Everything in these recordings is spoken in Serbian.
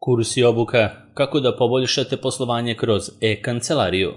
Kurs i obuka kako da poboljšate poslovanje kroz e-kancelariju.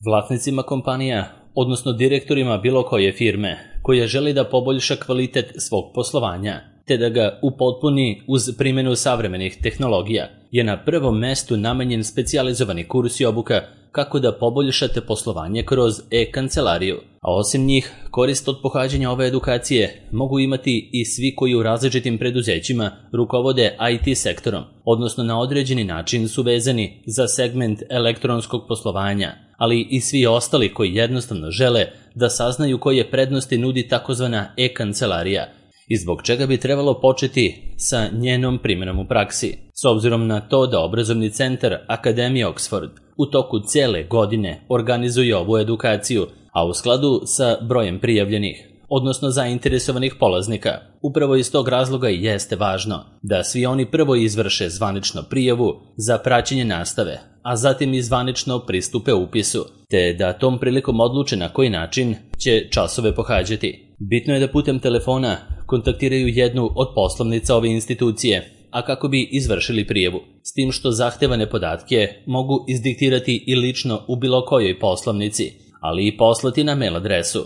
Vlasnicima kompanija, odnosno direktorima bilo koje firme, koja želi da poboljša kvalitet svog poslovanja, te da ga upotpuni uz primjenu savremenih tehnologija, je na prvom mestu namenjen specijalizovani kurs i obuka kako da poboljšate poslovanje kroz e-kancelariju. A osim njih, korist od pohađanja ove edukacije mogu imati i svi koji u različitim preduzećima rukovode IT sektorom, odnosno na određeni način su vezani za segment elektronskog poslovanja, ali i svi ostali koji jednostavno žele da saznaju koje prednosti nudi takozvana e-kancelarija i zbog čega bi trebalo početi sa njenom primjenom u praksi. S obzirom na to da obrazovni centar Akademije Oxford u toku cele godine organizuje ovu edukaciju, a u skladu sa brojem prijavljenih, odnosno zainteresovanih polaznika. Upravo iz tog razloga i jeste važno da svi oni prvo izvrše zvanično prijavu za praćenje nastave, a zatim i zvanično pristupe upisu, te da tom prilikom odluče na koji način će časove pohađati. Bitno je da putem telefona kontaktiraju jednu od poslovnica ove institucije, a kako bi izvršili prijavu, s tim što zahtevane podatke mogu izdiktirati i lično u bilo kojoj poslovnici, ali i poslati na mail adresu.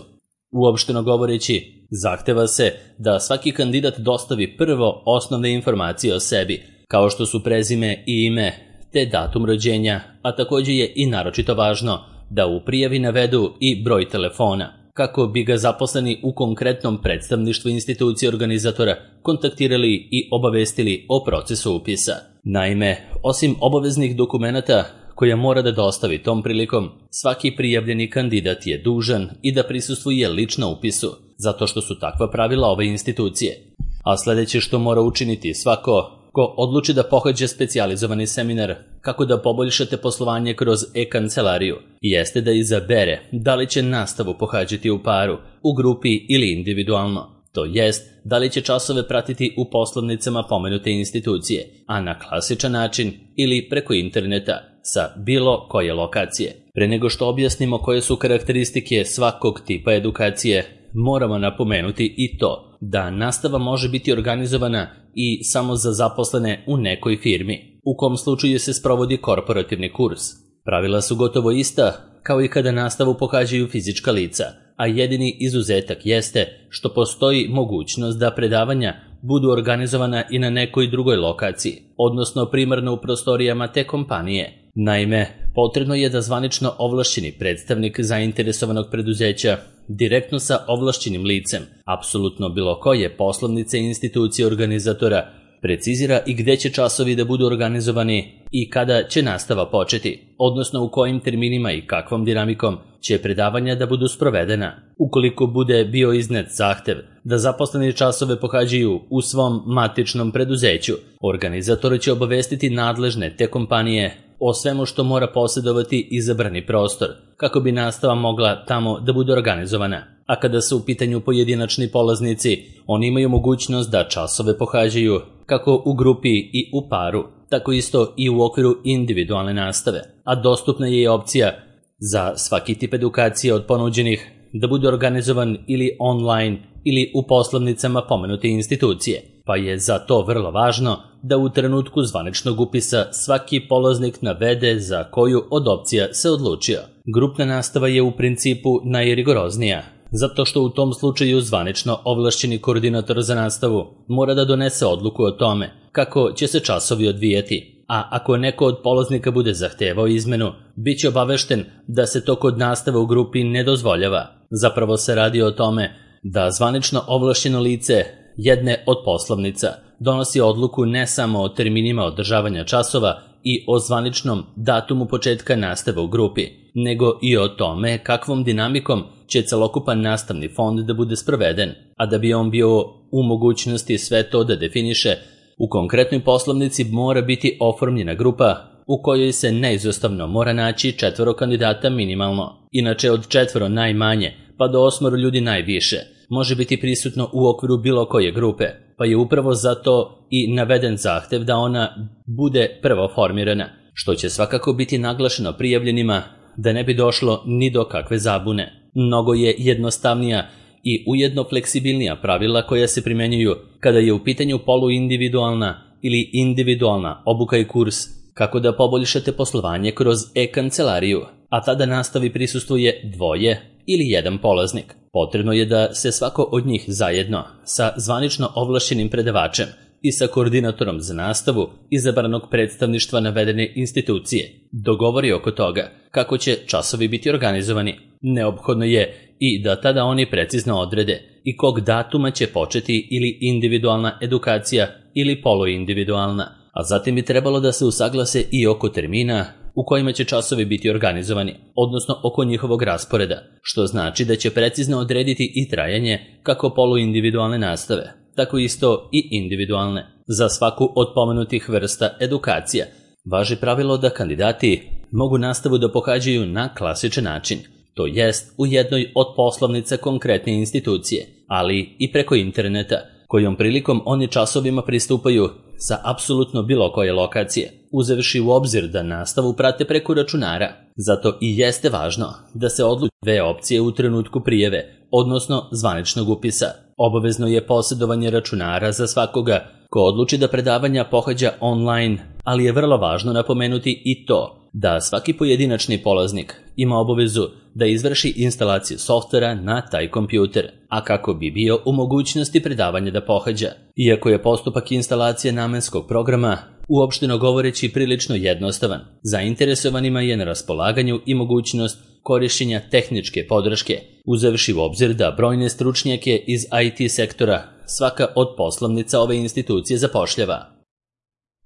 Uopšteno govoreći, zahteva se da svaki kandidat dostavi prvo osnovne informacije o sebi, kao što su prezime i ime, te datum rođenja, a također je i naročito važno da u prijavi navedu i broj telefona, kako bi ga zaposleni u konkretnom predstavništvu institucije organizatora kontaktirali i obavestili o procesu upisa. Naime, osim obaveznih dokumenata koja mora da dostavi tom prilikom, svaki prijavljeni kandidat je dužan i da prisustvuje lično upisu, zato što su takva pravila ove institucije. A sljedeće što mora učiniti svako ko odluči da pohađa specijalizovani seminar kako da poboljšate poslovanje kroz e-kancelariju, jeste da izabere da li će nastavu pohađati u paru, u grupi ili individualno. To jest, da li će časove pratiti u poslovnicama pomenute institucije, a na klasičan način ili preko interneta sa bilo koje lokacije. Pre nego što objasnimo koje su karakteristike svakog tipa edukacije, moramo napomenuti i to da nastava može biti organizovana i samo za zaposlene u nekoj firmi, u kom slučaju se sprovodi korporativni kurs. Pravila su gotovo ista kao i kada nastavu pohađaju fizička lica, a jedini izuzetak jeste što postoji mogućnost da predavanja budu organizovana i na nekoj drugoj lokaciji, odnosno primarno u prostorijama te kompanije. Naime, potrebno je da zvanično ovlašćeni predstavnik zainteresovanog preduzeća direktno sa ovlašćenim licem, apsolutno bilo koje poslovnice i institucije organizatora, precizira i gde će časovi da budu organizovani i kada će nastava početi, odnosno u kojim terminima i kakvom dinamikom će predavanja da budu sprovedena. Ukoliko bude bio iznet zahtev da zaposleni časove pohađaju u svom matičnom preduzeću, organizator će obavestiti nadležne te kompanije o svemu što mora posjedovati izabrani prostor, kako bi nastava mogla tamo da bude organizovana. A kada su u pitanju pojedinačni polaznici, oni imaju mogućnost da časove pohađaju kako u grupi i u paru, tako isto i u okviru individualne nastave, a dostupna je i opcija za svaki tip edukacije od ponuđenih da bude organizovan ili online ili u poslovnicama pomenute institucije, pa je za to vrlo važno da u trenutku zvaničnog upisa svaki polaznik navede za koju od opcija se odlučio. Grupna nastava je u principu najrigoroznija, zato što u tom slučaju zvanično ovlašćeni koordinator za nastavu mora da donese odluku o tome kako će se časovi odvijati, a ako neko od polaznika bude zahtevao izmenu, bit će obavešten da se to kod nastave u grupi ne dozvoljava. Zapravo se radi o tome da zvanično ovlašćeno lice jedne od poslovnica donosi odluku ne samo o terminima održavanja časova i o zvaničnom datumu početka nastave u grupi, nego i o tome kakvom dinamikom će celokupan nastavni fond da bude sproveden, a da bi on bio u mogućnosti sve to da definiše, u konkretnoj poslovnici mora biti oformljena grupa u kojoj se neizostavno mora naći 4 kandidata minimalno, inače od 4 najmanje pa do 8 ljudi najviše može biti prisutno u okviru bilo koje grupe, pa je upravo zato i naveden zahtev da ona bude prvo formirana, što će svakako biti naglašeno prijavljenima da ne bi došlo ni do kakve zabune. Mnogo je jednostavnija i ujedno fleksibilnija pravila koja se primenjuju kada je u pitanju poluindividualna ili individualna obuka i kurs kako da poboljšate poslovanje kroz e-kancelariju, a tada nastavi prisustvuje 2 ili 1 polaznik. Potrebno je da se svako od njih zajedno sa zvanično ovlašćenim predavačem i sa koordinatorom za nastavu izabranog predstavništva navedene institucije dogovori oko toga kako će časovi biti organizovani. Neophodno je i da tada oni precizno odrede i kog datuma će početi ili individualna edukacija ili poluindividualna, a zatim bi trebalo da se usaglase i oko termina u kojima će časovi biti organizovani, odnosno oko njihovog rasporeda, što znači da će precizno odrediti i trajanje kako poluindividualne nastave, tako isto i individualne. Za svaku od pomenutih vrsta edukacija važi pravilo da kandidati mogu nastavu da pohađaju na klasičan način, to jest u jednoj od poslovnica konkretne institucije, ali i preko interneta, kojom prilikom oni časovima pristupaju sa apsolutno bilo koje lokacije, uzevši u obzir da nastavu prate preko računara. Zato i jeste važno da se odluče 2 opcije u trenutku prijave, odnosno zvaničnog upisa. Obavezno je posjedovanje računara za svakoga ko odluči da predavanja pohađa online, ali je vrlo važno napomenuti i to da svaki pojedinačni polaznik ima obavezu da izvrši instalaciju softvera na taj kompjuter, a kako bi bio u mogućnosti predavanja da pohađa. Iako je postupak instalacije namenskog programa uopšteno govoreći prilično jednostavan, zainteresovanima je na raspolaganju i mogućnost korišćenja tehničke podrške, uzevši u obzir da brojne stručnjake iz IT sektora svaka od poslovnica ove institucije zapošljava.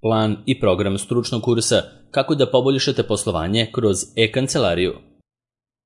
Plan i program stručnog kursa kako da poboljšate poslovanje kroz e-kancelariju.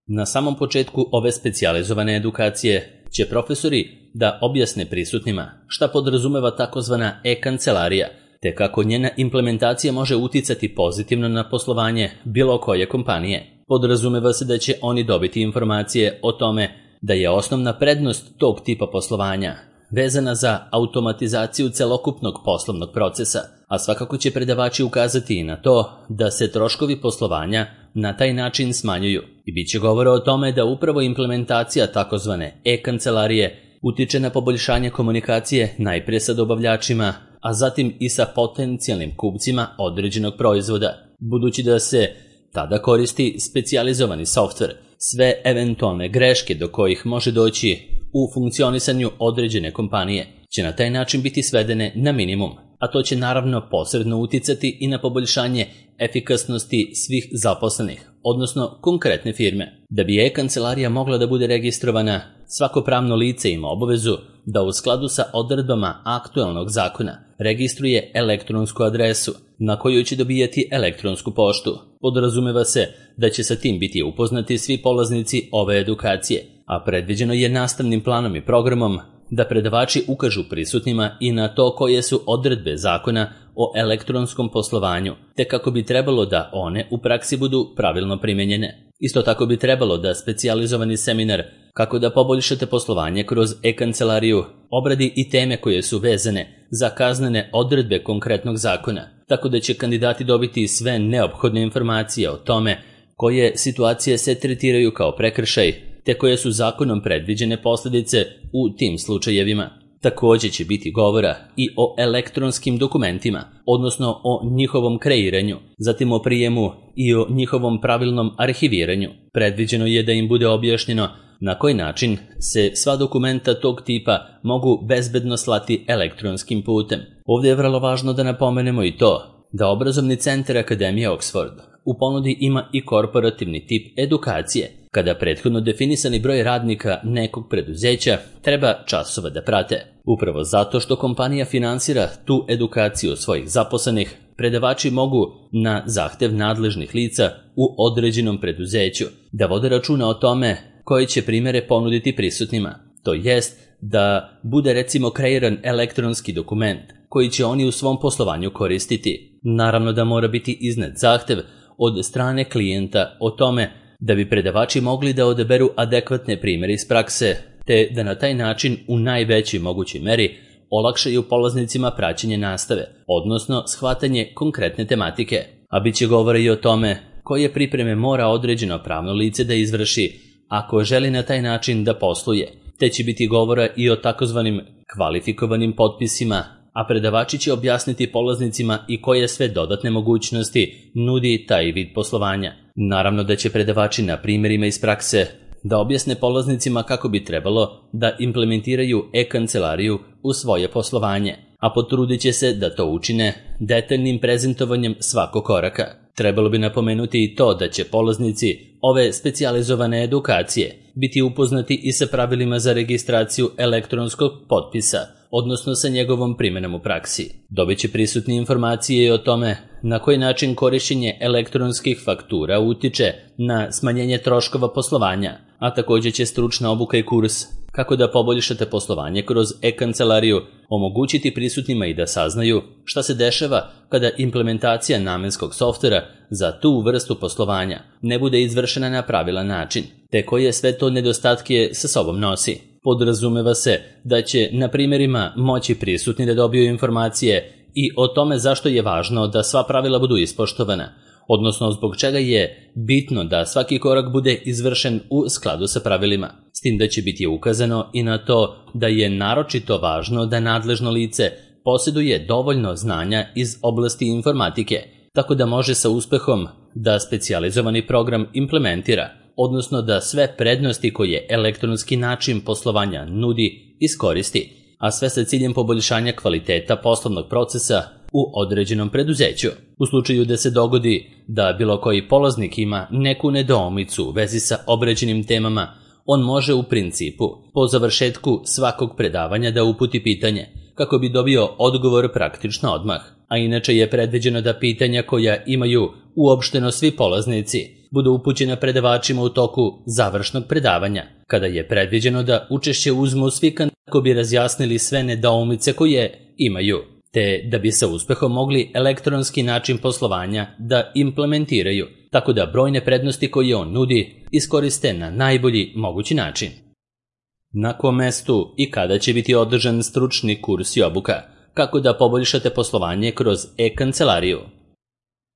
Na samom početku ove specijalizovane edukacije će profesori da objasne prisutnima šta podrazumeva takozvana e-kancelarija, te kako njena implementacija može uticati pozitivno na poslovanje bilo koje kompanije. Podrazumeva se da će oni dobiti informacije o tome da je osnovna prednost tog tipa poslovanja vezana za automatizaciju celokupnog poslovnog procesa, a svakako će predavači ukazati i na to da se troškovi poslovanja na taj način smanjuju i bit će govora o tome da upravo implementacija takozvane e-kancelarije utiče na poboljšanje komunikacije najprije sa dobavljačima, a zatim i sa potencijalnim kupcima određenog proizvoda, budući da se tada koristi specijalizovani softver. Sve eventualne greške do kojih može doći u funkcionisanju određene kompanije će na taj način biti svedene na minimum, a to će naravno posredno uticati i na poboljšanje efikasnosti svih zaposlenih, odnosno konkretne firme. Da bi e-kancelarija mogla da bude registrovana, svako pravno lice ima obavezu da u skladu sa odredbama aktuelnog zakona registruje elektronsku adresu na koju će dobijati elektronsku poštu. Podrazumeva se da će sa tim biti upoznati svi polaznici ove edukacije, a predviđeno je nastavnim planom i programom da predavači ukažu prisutnima i na to koje su odredbe zakona o elektronskom poslovanju, te kako bi trebalo da one u praksi budu pravilno primenjene. Isto tako bi trebalo da specijalizovani seminar kako da poboljšate poslovanje kroz e-kancelariju obradi i teme koje su vezane za kaznene odredbe konkretnog zakona, tako da će kandidati dobiti sve neophodne informacije o tome koje situacije se tretiraju kao prekršaj, te koje su zakonom predviđene posljedice u tim slučajevima. Također će biti govora i o elektronskim dokumentima, odnosno o njihovom kreiranju, zatim o prijemu i o njihovom pravilnom arhiviranju. Predviđeno je da im bude objašnjeno na koji način se sva dokumenta tog tipa mogu bezbedno slati elektronskim putem. Ovdje je vrlo važno da napomenemo i to da obrazovni centar Akademije Oxford u ponudi ima i korporativni tip edukacije, kada prethodno definisani broj radnika nekog preduzeća treba časova da prate. Upravo zato što kompanija finansira tu edukaciju svojih zaposlenih, predavači mogu na zahtev nadležnih lica u određenom preduzeću da vode računa o tome koje će primjere ponuditi prisutnima. To jest da bude recimo kreiran elektronski dokument koji će oni u svom poslovanju koristiti. Naravno da mora biti iznet zahtev od strane klijenta o tome da bi predavači mogli da odaberu adekvatne primjere iz prakse, te da na taj način u najvećoj mogućoj meri olakšaju polaznicima praćenje nastave, odnosno shvatanje konkretne tematike. A bit će govora i o tome koje pripreme mora određeno pravno lice da izvrši ako želi na taj način da posluje, te će biti govora i o takozvanim kvalifikovanim potpisima, a predavači će objasniti polaznicima i koje sve dodatne mogućnosti nudi taj vid poslovanja. Naravno da će predavači na primjerima iz prakse da objasne polaznicima kako bi trebalo da implementiraju e-kancelariju u svoje poslovanje, a potrudit će se da to učine detaljnim prezentovanjem svakog koraka. Trebalo bi napomenuti i to da će polaznici ove specijalizovane edukacije biti upoznati i sa pravilima za registraciju elektronskog potpisa, odnosno sa njegovom primjenom u praksi. Dobit će prisutni informacije i o tome na koji način korišćenje elektronskih faktura utiče na smanjenje troškova poslovanja, a također će stručna obuka i kurs kako da poboljšate poslovanje kroz e-kancelariju omogućiti prisutnima i da saznaju šta se dešava kada implementacija namenskog softvera za tu vrstu poslovanja ne bude izvršena na pravilan način, te koje sve to nedostatke sa sobom nosi. Podrazumeva se da će na primjerima moći prisutni da dobiju informacije i o tome zašto je važno da sva pravila budu ispoštovana, odnosno zbog čega je bitno da svaki korak bude izvršen u skladu sa pravilima. S tim da će biti ukazano i na to da je naročito važno da nadležno lice posjeduje dovoljno znanja iz oblasti informatike, tako da može sa uspehom da specijalizovani program implementira, odnosno da sve prednosti koje elektronski način poslovanja nudi iskoristi, a sve sa ciljem poboljšanja kvaliteta poslovnog procesa u određenom preduzeću. U slučaju da se dogodi da bilo koji polaznik ima neku nedoumicu u vezi sa obrađenim temama, on može u principu po završetku svakog predavanja da uputi pitanje, kako bi dobio odgovor praktično odmah, a inače je predviđeno da pitanja koja imaju uopšteno svi polaznici budu upućena predavačima u toku završnog predavanja, kada je predviđeno da učešće uzmu svi kako bi razjasnili sve nedoumice koje imaju, te da bi sa uspehom mogli elektronski način poslovanja da implementiraju, tako da brojne prednosti koje on nudi iskoriste na najbolji mogući način. Na kom mestu i kada će biti održan stručni kurs i obuka, kako da poboljšate poslovanje kroz e-kancelariju?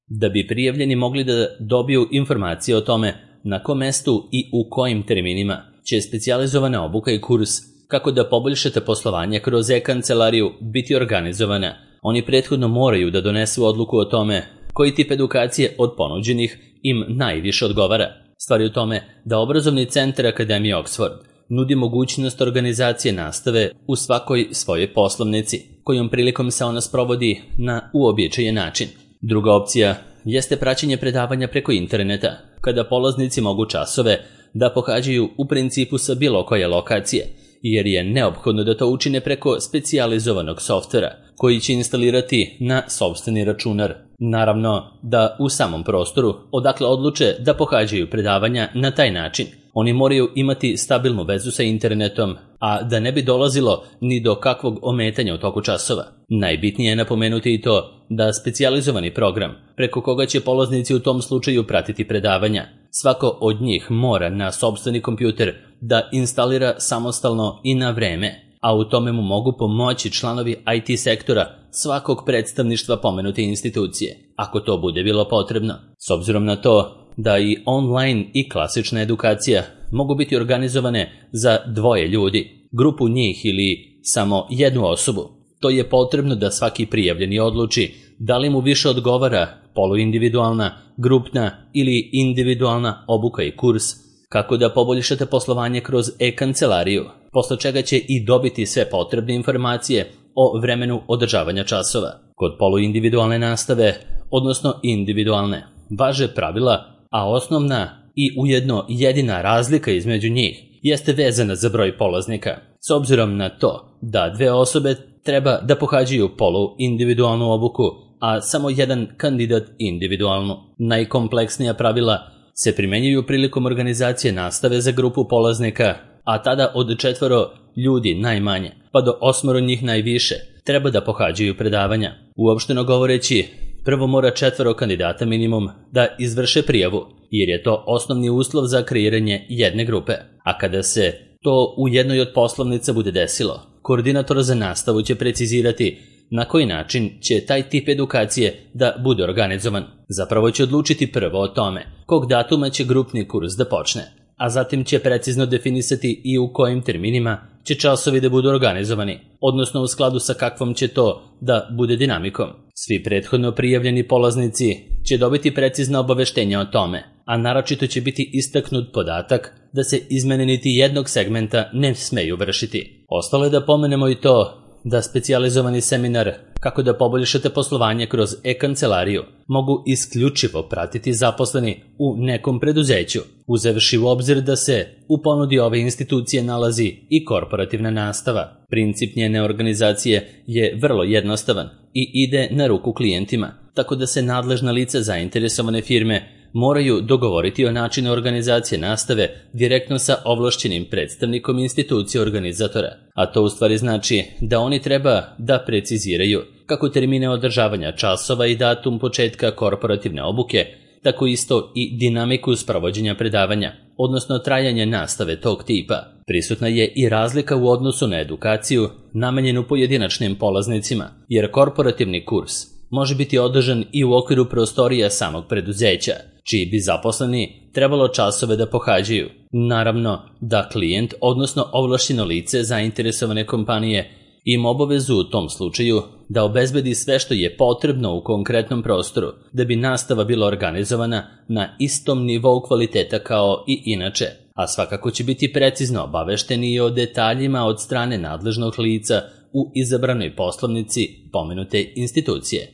Da bi prijavljeni mogli da dobiju informacije o tome na kom mestu i u kojim terminima će specijalizovana obuka i kurs kako da poboljšate poslovanje kroz e-kancelariju biti organizovana, oni prethodno moraju da donesu odluku o tome koji tip edukacije od ponuđenih im najviše odgovara. Stvar je u tome da obrazovni centar Akademije Oxford nudi mogućnost organizacije nastave u svakoj svojoj poslovnici, kojom prilikom se ona sprovodi na uobičajen način. Druga opcija jeste praćenje predavanja preko interneta, kada polaznici mogu časove da pohađaju u principu sa bilo koje lokacije, jer je neophodno da to učine preko specijalizovanog softvera, koji će instalirati na sopstveni računar. Naravno da u samom prostoru, odakle odluče da pohađaju predavanja na taj način, oni moraju imati stabilnu vezu sa internetom, a da ne bi dolazilo ni do kakvog ometanja u toku časova. Najbitnije je napomenuti i to da specijalizovani program, preko koga će polaznici u tom slučaju pratiti predavanja, svako od njih mora na sopstveni kompjuter da instalira samostalno i na vreme, a u tome mu mogu pomoći članovi IT sektora svakog predstavništva pomenute institucije, ako to bude bilo potrebno. S obzirom na to da i online i klasična edukacija mogu biti organizovane za dvoje ljudi, grupu njih ili samo jednu osobu, to je potrebno da svaki prijavljeni odluči da li mu više odgovara poluindividualna, grupna ili individualna obuka i kurs, kako da poboljšate poslovanje kroz e-kancelariju, posle čega će i dobiti sve potrebne informacije o vremenu održavanja časova. Kod poluindividualne nastave, odnosno individualne, važe pravila, a osnovna i ujedno jedina razlika između njih jeste vezana za broj polaznika. S obzirom na to da dve osobe treba da pohađaju poluindividualnu obuku, a samo jedan kandidat individualnu. Najkompleksnija pravila se primenjuju prilikom organizacije nastave za grupu polaznika, a tada od 4 ljudi najmanje, pa do 8 njih najviše, treba da pohađaju predavanja. Uopšteno govoreći, prvo mora 4 kandidata minimum da izvrše prijavu, jer je to osnovni uslov za kreiranje jedne grupe. A kada se to u jednoj od poslovnica bude desilo, koordinator za nastavu će precizirati na koji način će taj tip edukacije da bude organizovan. Zapravo će odlučiti prvo o tome kog datuma će grupni kurs da počne, a zatim će precizno definisati i u kojim terminima će časovi da budu organizovani, odnosno u skladu sa kakvom će to da bude dinamikom. Svi prethodno prijavljeni polaznici će dobiti precizna obaveštenja o tome, a naročito će biti istaknut podatak da se izmene niti jednog segmenta ne smeju vršiti. Ostalo je da pomenemo i to da specijalizovani seminar kako da poboljšate poslovanje kroz e-kancelariju mogu isključivo pratiti zaposleni u nekom preduzeću, uzevši u obzir da se u ponudi ove institucije nalazi i korporativna nastava. Princip njene organizacije je vrlo jednostavan i ide na ruku klijentima, tako da se nadležna lica zainteresovane firme moraju dogovoriti o načinu organizacije nastave direktno sa ovlašćenim predstavnikom institucije organizatora, a to u stvari znači da oni treba da preciziraju kako termine održavanja časova i datum početka korporativne obuke, tako isto i dinamiku sprovođenja predavanja, odnosno trajanje nastave tog tipa. Prisutna je i razlika u odnosu na edukaciju namenjenu pojedinačnim polaznicima, jer korporativni kurs može biti održan i u okviru prostorija samog preduzeća, čiji bi zaposleni trebalo časove da pohađaju. Naravno da klijent, odnosno ovlašćeno lice zainteresovane kompanije, ima obavezu u tom slučaju da obezbedi sve što je potrebno u konkretnom prostoru da bi nastava bila organizovana na istom nivou kvaliteta kao i inače, a svakako će biti precizno obavešteni i o detaljima od strane nadležnog lica u izabranoj poslovnici pomenute institucije.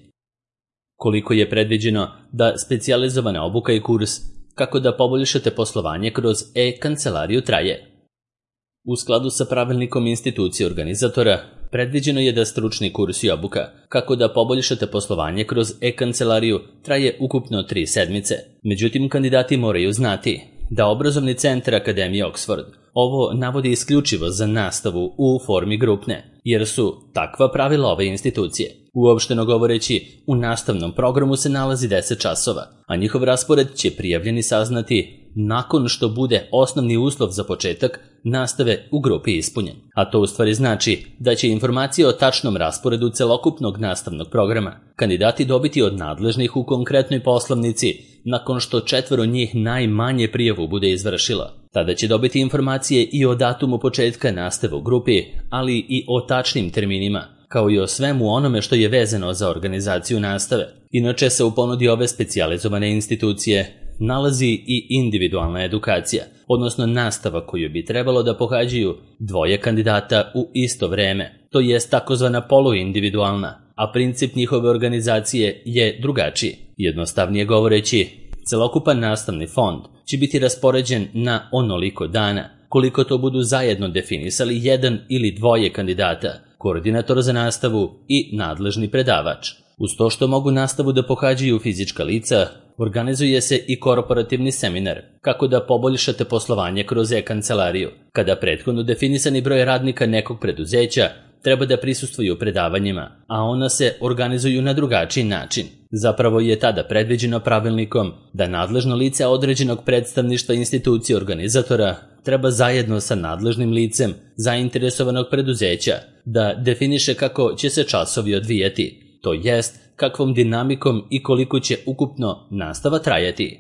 Koliko je predviđeno da specijalizovana obuka i kurs kako da poboljšate poslovanje kroz e-kancelariju traje? U skladu sa pravilnikom institucije organizatora, predviđeno je da stručni kurs i obuka kako da poboljšate poslovanje kroz e-kancelariju traje ukupno 3 sedmice. Međutim, kandidati moraju znati da obrazovni centar Akademije Oxford ovo navodi isključivo za nastavu u formi grupne, jer su takva pravila ove institucije. Uopšteno govoreći, u nastavnom programu se nalazi 10 časova, a njihov raspored će prijavljeni saznati nakon što bude osnovni uslov za početak nastave u grupi ispunjen. A to u stvari znači da će informacije o tačnom rasporedu celokupnog nastavnog programa kandidati dobiti od nadležnih u konkretnoj poslovnici nakon što 4 njih najmanje prijavu bude izvršilo. Tada će dobiti informacije i o datumu početka nastave u grupi, ali i o tačnim terminima, kao i o svemu onome što je vezano za organizaciju nastave. Inače se u ponudi ove specijalizovane institucije nalazi i individualna edukacija, odnosno nastava koju bi trebalo da pohađaju 2 kandidata u isto vreme, to jest takozvana poluindividualna, a princip njihove organizacije je drugačiji. Jednostavnije govoreći, celokupan nastavni fond će biti raspoređen na onoliko dana koliko to budu zajedno definisali 1 ili 2 kandidata, koordinator za nastavu i nadležni predavač. Uz to što mogu nastavu da pohađaju fizička lica, organizuje se i korporativni seminar kako da poboljšate poslovanje kroz e-kancelariju, kada prethodno definisani broj radnika nekog preduzeća treba da prisustvuju predavanjima, a ona se organizuju na drugačiji način. Zapravo je tada predviđeno pravilnikom da nadležno lice određenog predstavništva institucije organizatora treba zajedno sa nadležnim licem zainteresovanog preduzeća da definiše kako će se časovi odvijati, to jest kakvom dinamikom i koliko će ukupno nastava trajati.